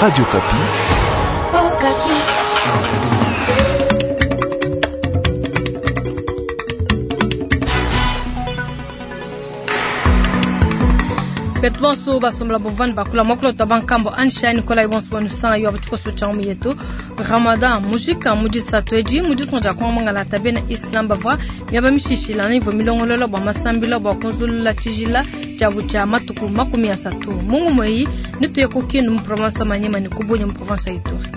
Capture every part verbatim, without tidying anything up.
Radio Okapi. Okapi. Betu bonso basombola bovani bakula mwakula twa bankambo Ansha Nikolai bonso banusanga yo abatikoso changu yetu Ramadan mujika mujisatu edi muditunga kwa mangala tabena Islam bavwa miaba mishishila na ivo milongololo bwa masambila bwa kunzulula tshijila tshiabu tshia matuku makumi asatu mungu mweyi nituye ku Kindu mu province ya Maniema ne ku Bunia mu province ya Ituri.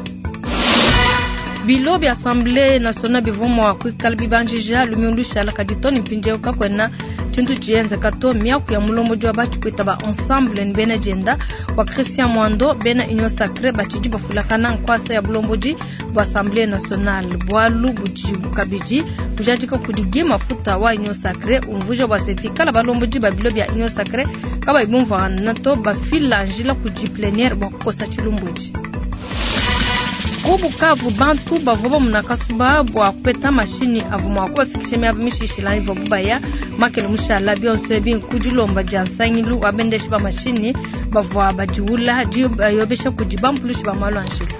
Bilo bya Assemblée nationale bivua mua kuikala bibanjija lumingu lushala kadi to ne mpindieu kakuena tshintu tshienzeka to miaku ya mulombodi wa batshikuita ba ensemble ne bena dienda wa Christian Mwando bena Union Sacrée batshidi bafulakana nkuasa ya bulombodi bua Assemblée nationale bualu budi kabidi bujadika kudi Guy Mafuta wa Union Sacrée umvuija bua se pikala balombodi ba bilo bia Union Sacrée kabayi bumvuangana to bafila njila kudi plénière bua kukosa tshilumbu etshi. Ku Bukavu bantu bavua bamuna kasuba bua kupeta mashinyi avua mua kubafikisha miaba mishishila ivuabu baya makele mushala bionso ebi ku dilomba dia nsangilu wa bendeshi ba mashinyi bavua badiwula dibayobesha kudi bampulushi ba malu a njila.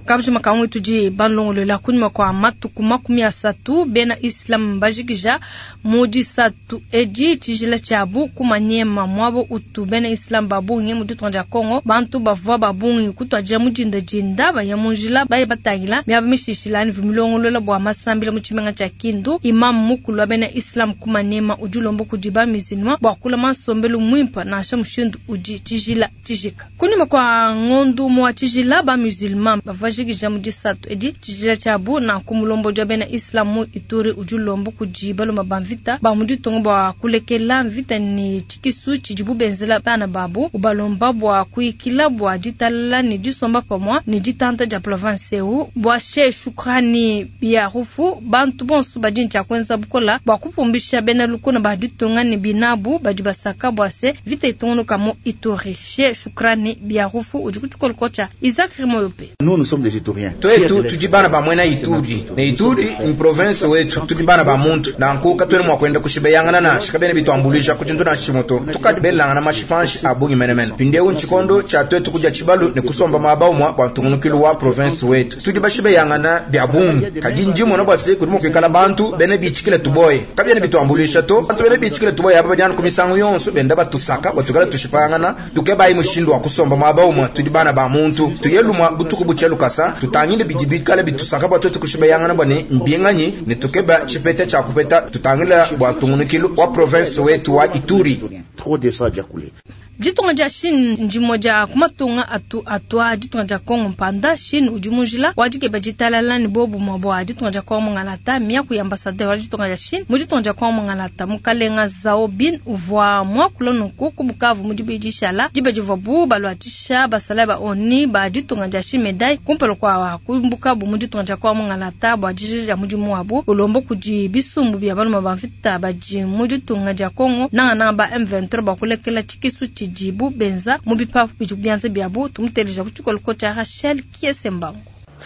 Kabujima kamwe tudi balongolola kunyima kwa matuku makumi asatu bena Islam bajikija mu disatu edi tshijila tshiabu ku Maniema muabo utu bena Islam babungi mu ditunga dia Congo bantu bavua babungi kutuadija mu dindadinda baya mu njila baye batangila miaba mishishila ne milongolola bua masambila mu tshimenga tshia Kindu. Imam mukulu wa bena Islam ku Maniema udi ulomba kudi ba musulman bua kulama nsombelu muimpe nansha mushindu udi tshijila tshijika. Kunyima kwa ngondu mua tshijila ba musulman bavua bajikija mu disatu edi tshijila tshiabu nanku mulombodi wa bena Islam mu Ituri udi ulomba kudi baluma ba mvita ba mu ditunga bua kulekela mvita ne tshikisu tshidibu benzela bana babu, ubalomba bua kuyikila bua ditalala ne disomba pamue ne ditanta dia province eu bua Sheikh Shukrani Biarufu. Bantu bonso badi ne tshia kuenza bukola bua kupumbisha bena lukuna ba ditunga ne binabu badi basaka bua se vita itungunuka mu Ituri. Sheikh Shukrani Biarufu udi ku tshikoloko tshia Isaac Rimoyope. Nous, nous sommes des Ituriens. Twetu tudi bana ba mwena Ituri ne Ituri ni province wetu, tudi bana ba muntu nanku katwene mwa kwenda kushibeyangana nashi kabene bitwambulisha kuchintu na shimoto tukadi belangana mashipanshi abungi menemene pindeu nchikondo cha twetu kuja chibalu ne kusomba maba umwa bwa ntungunukilu wa province wetu tudi bashibeyangana bya bungi kadi ndimo bwa se kudi mukwikala bantu bene bichikile tuboye kabyene bitwambulisha to bantu bene bichikile tuboye aba bajana kumisango yonso benda batusaka batukala tushipangana tukebayi mushindu wa kusomba maba umwa tudi bana ba muntu tuyelumwa butuku buchelu kasa tutangile bidi bikale bitusaka bwa twetu kushibeyangana bwa ne mbinganyi ne tukeba tshipete tshia kupeta tutangila bwa ntungunukilu wa province wetu wa Ituri. Trop de sang a déjà coulé. Ditunga dia Chine ndimue dia ku matunga atu atua ditunga dia Congo mpanda. Chine udi mu njila wa dikeba ditalala ne bobumue bua ditunga dia Congo mungalata. Miaku ya ambassadeur wa ditunga dia Chine mu ditunga dia Congo mungalata mukalenga Zhao Bin uvua muakula nunku ku Bukavu mu dibidi dishala diba divuabu baluatshisha basalayi ba ONU ba ditunga dia Chine medaille kumpala kua kumbukabu mu ditunga dia Congo mungalata bua dijija dia mudimu wabu ulomba kudi bisumbu bia balume ba mvita badi mu ditunga dia Congo nangananga ba M vingt-trois bua kulekela tshikisu tshidibu benza mu bipapu bidi bianza biabu. Tumuteleja ku tshikoloko tshia Rachel Kiesembangu.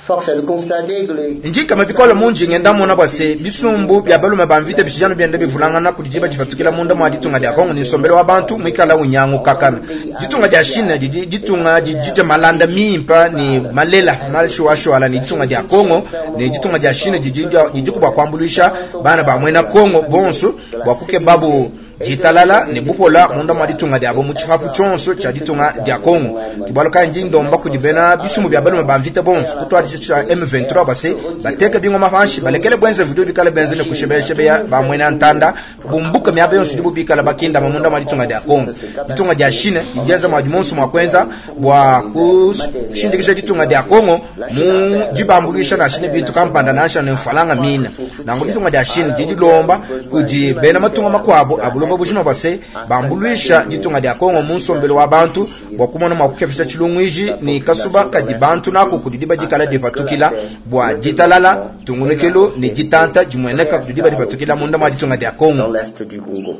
Force est de constater que les Njikama bikola munji ngenda mona bwa se bisumbu bya balume ba mvita bishijano byenda bivulangana kudi diba difatukila munda mwa ditunga dia Kongo ni nsombelo wa bantu mwikala unyangu kakana ditunga dia China didi ditunga didi malanda mimpa ni malela malshwashwala ni ditunga dia Kongo ni ditunga dia China didi didi kubwa kwambulisha bana ba mwena Kongo bonso bwa kukebabu ditalala ne bupola munda mwa ditunga diabo mu tshipapu tshonso tshia ditunga dia Kongo kibalo kanji ndomba kudi bena bisumu bya balume ba mvita bonso kutwadisha tshia M vingt-trois base bateke bingoma panshi balekele bwenze video bikale benze ne kushebeshebeya ba mwena ntanda bumbuka miaba yonso dibu bikala bakinda munda mwa ditunga dia Kongo ditunga dia Chine idienza mwa dimonso mwa kwenza bwa kushindikisha ditunga dia Kongo mu dibambulisha na Chine bintu kampanda nasha ne mfalanga mina nango ditunga dia Chine didilomba kudi bena matunga makwabo abulo bujima base bambuluisha ditunga dia Kongo mu nsombelo wa bantu bwa kumona mwa kukepesha tshilungwiji ni kasuba kadi bantu nako kudi diba dikala dipatukila bwa ditalala tungunukelo ni ditanta dimweneka kudi diba dipatukila munda mwa ditunga dia Kongo. Dans l'est du Congo.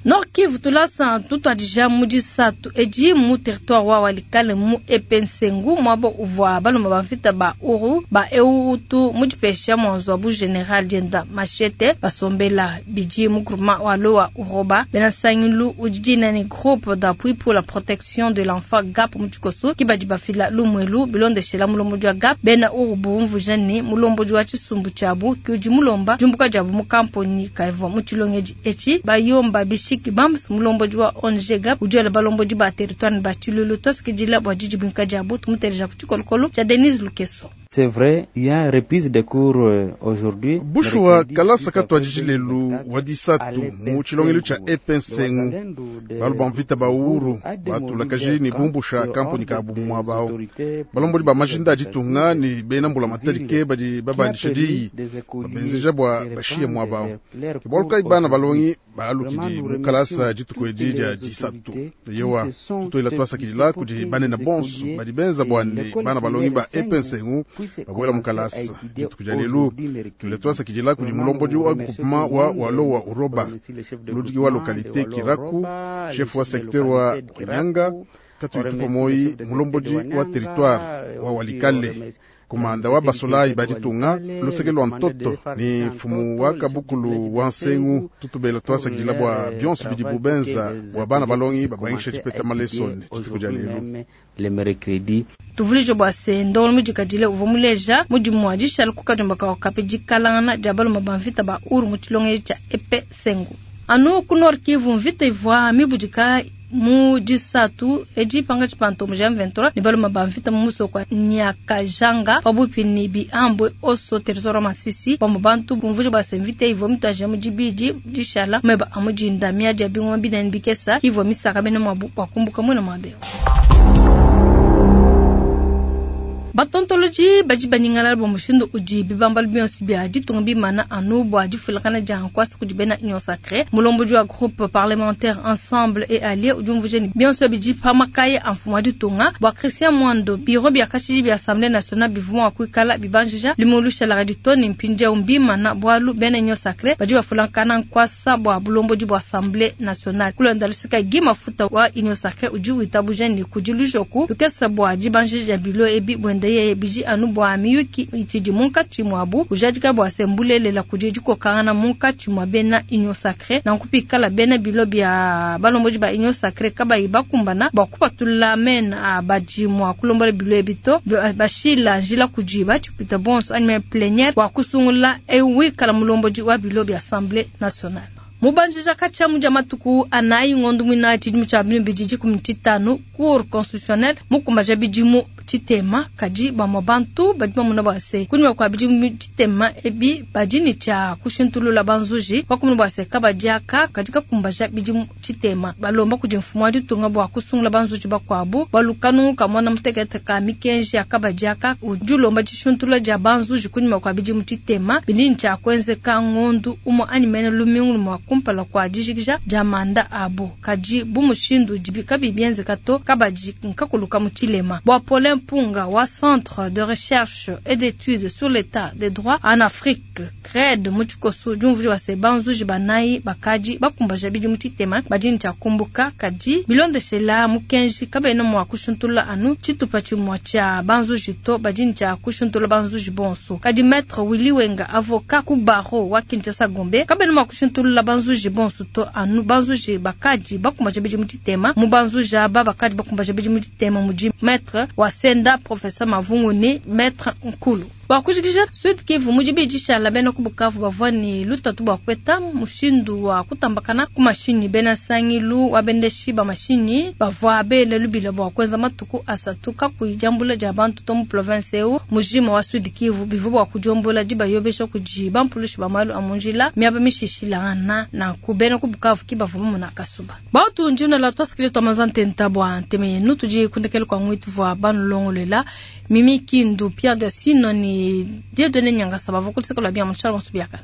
Nord Kivu tulasa tutuadija mu disatu edi mu territoire wa Walikale mu Epensengu mwabo uvwa baluma ba mvita ba uru ba eutu mu dipesha mwanzo wa bu general dienda machete basombela bidi mu groupement wa lowa uroba bena sangilu udi ni groupe d'appui pour la protection de l'enfant GAP mu tshikoso kibadi bafila lumwelu bilondeshela mulombo wa GAP bena uru bumvuja ni mulombo wa tshisumbu tshiabu kiudi mulomba jumbuka diabu mu kamponi kaivwa mu tshilongedi echi bayomba bishi Bams mulombo wa O N G GAP udi balombo di ba territoire ba tshilulu tosikidila bwa didi binka diabu tumuteleja ku tshikolokolo tshia Denise Lukeso. C'est vrai, il y a reprise de cours aujourd'hui. Bushuwa kalasa katwa lelu wadisatu mu tshilongelu tshia Epensengu balu mvita ba uhuru batulakaji ni bumbusha kamponi ka bumwa bao balombodi ba majinda aditunga ni bena mbula matalike badi babandisha diyi babenzeja bwa bashiye mwa bao boluka ibana balongi balukidi mu kalasa dituku edi dia disatu yewa tutoila twasakidila kudi banene bonso badi benza bwa ne bana balongi ba Epensengu babuela mu kalasa dituku dia lelu tuile twasakidila kudi mulombodi wa groupement wa walowa uroba muludiki wa localité Kiraku chef wa secteur wa Nyanga katuitupa moi mulombodi wa territoire wa Walikale komanda wa basolai baditunga luseke lwa ntoto ni mfumu wa kabukulu wa nsengu tutubela twasakidila bwa bionso bidi bubenza bwa bana balongi babangisha tshipeta malesone dituku dia lelu le mercredi tuvulije bwa se ndolo mudikadile uvua muleja mudimu wa dishala kukajomba ka kape dikalangana dia baluma ba mvita ba uru mu tshilongelo tshia Epensengu anu ku Nord Kivu mvita ivua mibudika mu disatu edi panga tshipanto mu M vingt-trois ni baluma ba mvita mu musoko wa Nyakajanga pabupi ni biambwe oso territoire Masisi bamwe bantu bumvuje bwa se mvita ivua mitaje mu dibidi dishala meba amujinda miadi ya bingoma binene bikesa ivua misaka bene mwabu bakumbuka mwena mwabeo. Batontoloji badi baningala bwa mushindu udi bibamba bionso bia ditunga bimana anu bwa difulakana dia nkwasa kudi bena Union Sacrée mulomboji wa groupe parlementaire Ensemble et Alliés udi umvuja ni bionso bidi pamakaye amfuma ditunga bwa Christian Mwando biro bia kashidi bia Assemblée nationale bivuma kuikala bibanjija limulusha la raditoni mpindia umbimana bwalu bena Union Sacrée badi bafulakana nkwasa bwa bulomboji bwa Assemblée nationale kulonda lusika gima futa wa Union Sacrée udi witabuja ni kudilujoku lukesa bwa dibanjija bilo ebi bwende ye biji anu bwa miyuki itidi munkatshi mwabu ujadika bwa sembulelela kudi dikokangana munkatshi mwa bena Union Sacrée na nkupikala bena bilo bia balomboji ba Union Sacrée kabayi bakumbana bwa kupatula mena abadi mwa kulombola bilo ebito bashila njila kudi batshipita bonso anime plénière wa kusungula ewikala mulomboji wa bilo bia Assemblée nationale. Mubanjija kacha muja matuku anayi ngondu mwina tshidimu tshia bibidi dikumi tshitanu cour constitutionnelle mukumbaja bidimu tshitema kadi bamwe bantu badi bamuna bwase kunyuma kwa bidimu tshitema ebi badi ni tshia kushintulula banzuji bakumuna bwase kabadiaka kadi kakumbaja bidimu tshitema balomba kudi mfumu wa ditunga bwa kusungula banzuji bakwabu balukanu kamona mutekete ka mikenji ya kabadiaka udi ulomba tshishintulula dia banzuji kunyuma kwa bidimu tshitema bidi ni tshia kuenzeka ngondu umwe animene lumingu mwa kumpala kwa dijikija dia manda abo kadi bumushindu dibika bibienzeka to kabadi nkakuluka mu tshilema bwa Paulin Mpunga wa Centre de recherche et d'études sur l'état des droits en Afrique CRED mu tshikoso diumvuji wa se banzuji banayi bakadi bakumbaja bidimu tshitema badi ni tshia kumbuka kadi bilondeshela mukenji kabena mwa kushuntula anu tshitupa tshimua tshia banzuji to badi ni tshia kushuntula banzuji bonso kadi maître Willy Wenga avocat ku barreau wa Kinshasa Gombe kabena mwa kushuntula banzuji bonso to anu banzuji bakadi bakumbaja bidimu tshitema mu banzuji aba bakadi bakumbaja bidimu tshitema mudi maître wa Senda professeur Mavungu ni maître Nkulu. Bakujikija Sud Kivu mujibi dishala bena ku Bukavu bavua ni lutatu bwa kweta mushindu wa kutambakana ku mashini bena sangilu wa bendeshi ba mashini bavua bele lubila bwa kwenza matuku asatu kakuyijambula dia bantu to mu province eu mujima wa Sud Kivu bivu bwa kujombola dibayobesha kudi bampulushi ba malu amunjila miaba mishishilana na kubena ku Bukavu kibavu muna kasuba. Bautu njuna la twasikile twamazante ntabwa nteme nutuji kundekele kwa ngwitu vwa banulongolela Mimi Kindu Pierre de Sino ni Dieudonné Nyangasa bavukulisa la bien mutshala musubiaka.